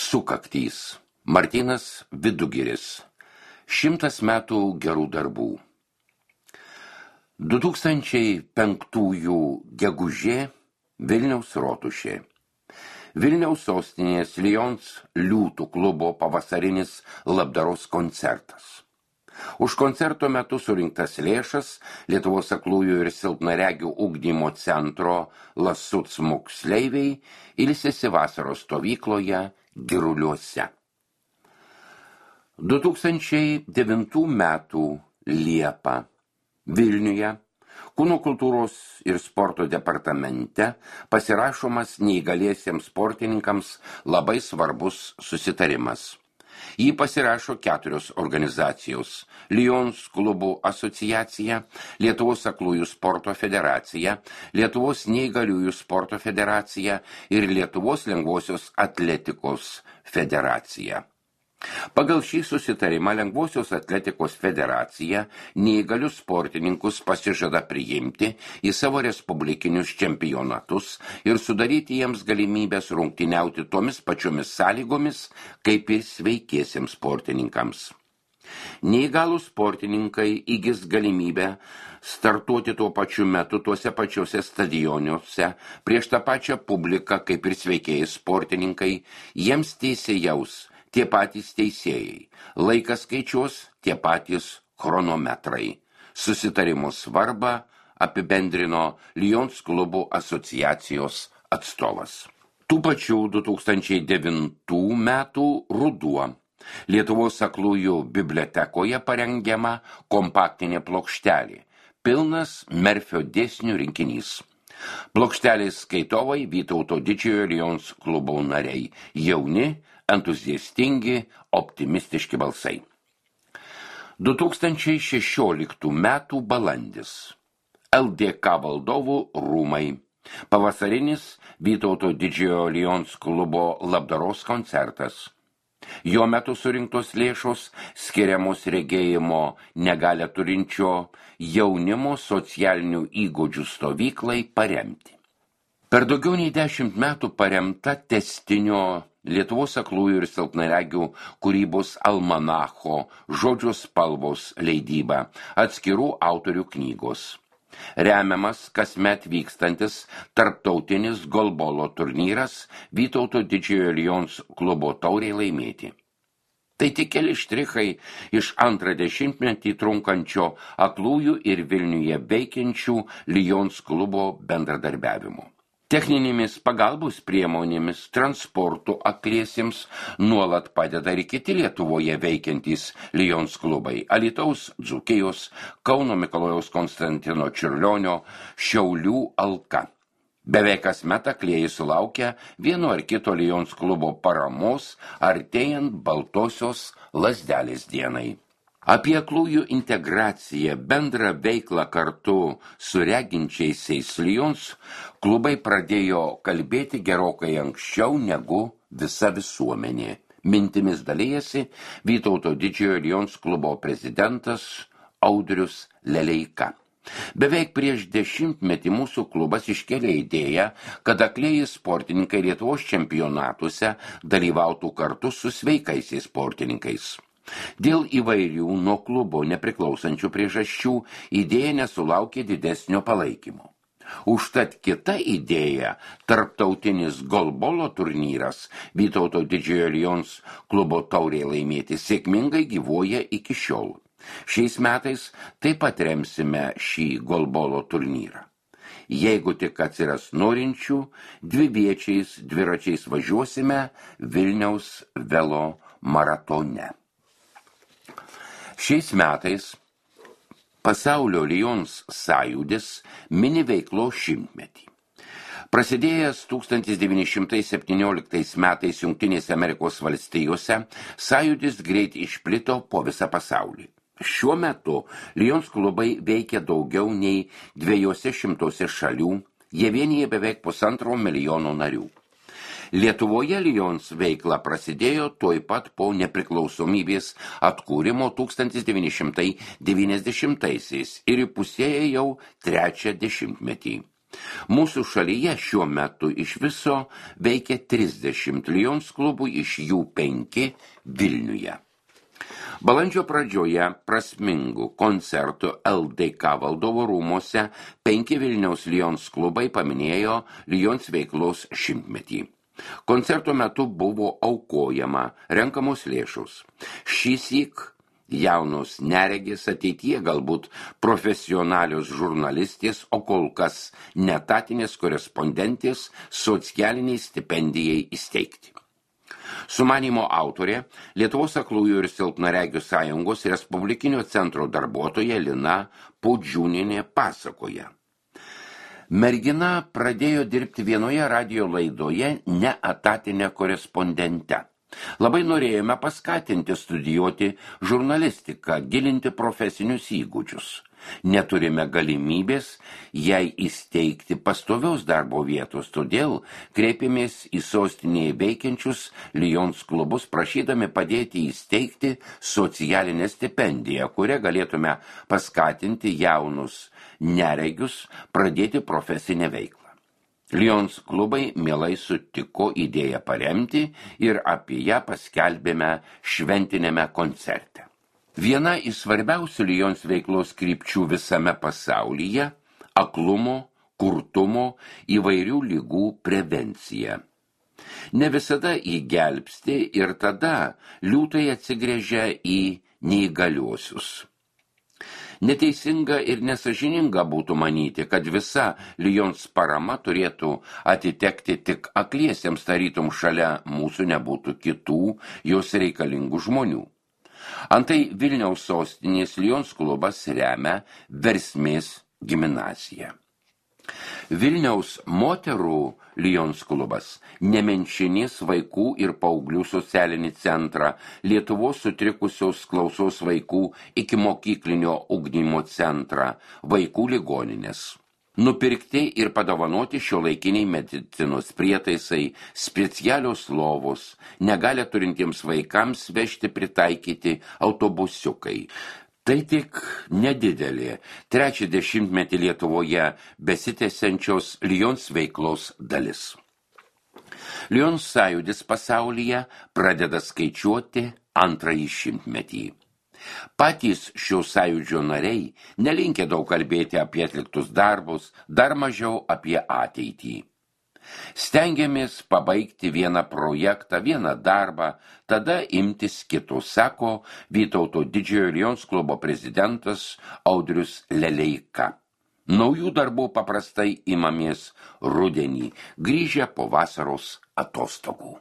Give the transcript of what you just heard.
Sukaktys. Martynas Vidugiris. 100 metų gerų darbų. 2005 gegužė Vilniaus rotušė. Vilniaus sostinės Lions liūtų klubo pavasarinis labdaros koncertas. Už koncerto metu surinktas lėšas Lietuvos aklųjų ir silpnaregių ugdymo centro Lasuc moksleiviai ilsisi vasaros stovykloje Giruliuose. 2009 metų Liepą Vilniuje Kūno kultūros ir sporto departamente pasirašomas neįgaliesiems sportininkams labai svarbus susitarimas. Jį pasirašo 4 organizacijos – Lions klubų asociacija, Lietuvos aklųjų sporto federacija, Lietuvos neįgaliųjų sporto federacija ir Lietuvos lengvosios atletikos federacija. Pagal šį susitarimą Lengvosios atletikos federacija neįgalius sportininkus pasižada priimti į savo respublikinius čempionatus ir sudaryti jiems galimybės rungtyniauti tomis pačiomis sąlygomis, kaip ir sveikiesiems sportininkams. Neįgalūs sportininkai įgis galimybę startuoti tuo pačiu metu tuose pačiuose stadioniuose prieš tą pačią publiką, kaip ir sveikieji sportininkai, jiems teisėjaus tie patys teisėjai, laikas skaičiuos tie patys chronometrai. Susitarimo svarbą apibendrino Lions klubų asociacijos atstovas. Tų pačių 2009 metų ruduo Lietuvos aklųjų bibliotekoje parengiama kompaktinė plokštelė, pilnas Merfio dėsnių rinkinys. Plokštelės skaitovai Vytauto didžiojo Lions klubo nariai, jauni, entuziastingi, optimistiški balsai. 2016 metų balandis. LDK valdovų rūmai. Pavasarinis Vytauto didžiojo Lions klubo labdaros koncertas. Jo metu surinktos lėšos skiriamos regėjimo negalią turinčio jaunimo socialinių įgūdžių stovyklai paremti. Per daugiau nei 10 metų paremta testinio Lietuvos aklųjų ir silpnaregių kūrybos almanacho Žodžio spalvos leidyba, atskirų autorių knygos. Remiamas kasmet vykstantis tarptautinis golbolo turnyras Vytauto didžiojo Lions klubo taurei laimėti. Tai tik keli štrichai iš 20-metį trunkančio aklųjų ir Vilniuje veikiančių Lions klubo bendradarbiavimo. Techninėmis pagalbos priemonėmis transportu akliesiems nuolat padeda ir kiti Lietuvoje veikiantys Lions klubai – Alytaus, Dzūkijos, Kauno Mikalojaus Konstantino Čiurlionio, Šiaulių Alka. Beveik kasmet aklieji sulaukia vieno ar kito Lions klubo paramos artėjant Baltosios lazdelės dienai. Apie aklųjų integraciją, bendrą veiklą kartu su reginčiaisiais Lions klubai pradėjo kalbėti gerokai anksčiau negu visa visuomenė. Mintimis dalijasi Vytauto didžiojo Lions klubo prezidentas Audrius Leleika. Beveik prieš 10-metį mūsų klubas iškėlė idėją, kad aklieji sportininkai Lietuvos čempionatuose dalyvautų kartu su sveikaisiais sportininkais. Dėl įvairių nuo klubo nepriklausančių priežasčių idėja nesulaukė didesnio palaikymo. Užtat kita idėja, tarptautinis golbolo turnyras Vytauto didžiojo Lions klubo taurei laimėti, sėkmingai gyvuoja iki šiol. Šiais metais taip pat remsime šį golbolo turnyrą. Jeigu tik atsiras norinčių, dviviečiais dviračiais važiuosime Vilniaus velo maratone. Šiais metais Pasaulio Lions sąjūdis mini veiklos 100-metį. Prasidėjęs 1917 metais Jungtinėse Amerikos valstijose, sąjūdis greit išplito po visą pasaulį. Šiuo metu Lions klubai veikia daugiau nei 200 šalių, jie vienyje beveik 1,5 milijono narių. Lietuvoje Lions veikla prasidėjo tuoj pat po nepriklausomybės atkūrimo 1990-aisiais ir įpusėjo jau 3 dešimtmetį. Mūsų šalyje šiuo metu iš viso veikia 30 Lions klubų, iš jų 5 Vilniuje. Balandžio pradžioje prasmingų koncertų LDK valdovo rūmose 5 Vilniaus Lions klubai paminėjo Lions veiklos 100-metį. Koncerto metu buvo aukojama renkamos lėšos. Šįsyk jaunos neregės, ateityje galbūt profesionalios žurnalistės, o kol kas netatinės korespondentės socialiniai stipendijai įsteigti. Sumanimo autorė Lietuvos aklųjų ir silpnaregių sąjungos Respublikinio centro darbuotoja Lina Podžiūnienė pasakoja. Mergina pradėjo dirbti vienoje radijo laidoje neetatinę korespondentę. Labai norėjome paskatinti studijuoti žurnalistiką, gilinti profesinius įgūdžius. Neturime galimybės jai įsteigti pastovios darbo vietos, todėl kreipėmės į sostinėje veikiančius Lions klubus, prašydami padėti įsteigti socialinę stipendiją, kurią galėtume paskatinti jaunus neregius pradėti profesinę veiklą. Lions klubai mielai sutiko idėją paremti ir apie ją paskelbėme šventinėme koncerte. Viena iš svarbiausių Lions veiklos krypčių visame pasaulyje – aklumo, kurtumo, įvairių ligų prevencija. Ne visada jį gelbsti ir tada liūtai atsigręžia į neįgaliuosius. Neteisinga ir nesažininga būtų manyti, kad visa Lions parama turėtų atitekti tik akliesiems, tarytum šalia mūsų nebūtų kitų jos reikalingų žmonių. Antai Vilniaus sostinės Lions klubas remia Versmės gimnaziją. Vilniaus moterų Lions klubas, Nemenčinės vaikų ir paauglių socialinį centrą, Lietuvos sutrikusios klausos vaikų iki mokyklinio ugdymo centrą, vaikų ligoninės. Nupirkti ir padovanoti šiuolaikiniai medicinos prietaisai, specialios lovos, negalią turintiems vaikams vežti pritaikyti autobusiukai. Tai tik nedidelė 30-metį Lietuvoje besitęsiančios Lions veiklos dalis. Lions sąjūdis pasaulyje pradeda skaičiuoti 2. šimtmetį. Patys šio sąjūdžio nariai nelinkę daug kalbėti apie atliktus darbus, dar mažiau apie ateitį. Stengiamės pabaigti vieną projektą, vieną darbą, tada imtis kito, sako Vytauto Didžiojo Lions klubo prezidentas Audrius Leleika. Naujų darbų paprastai imamės rudenį, grįžę po vasaros atostogų.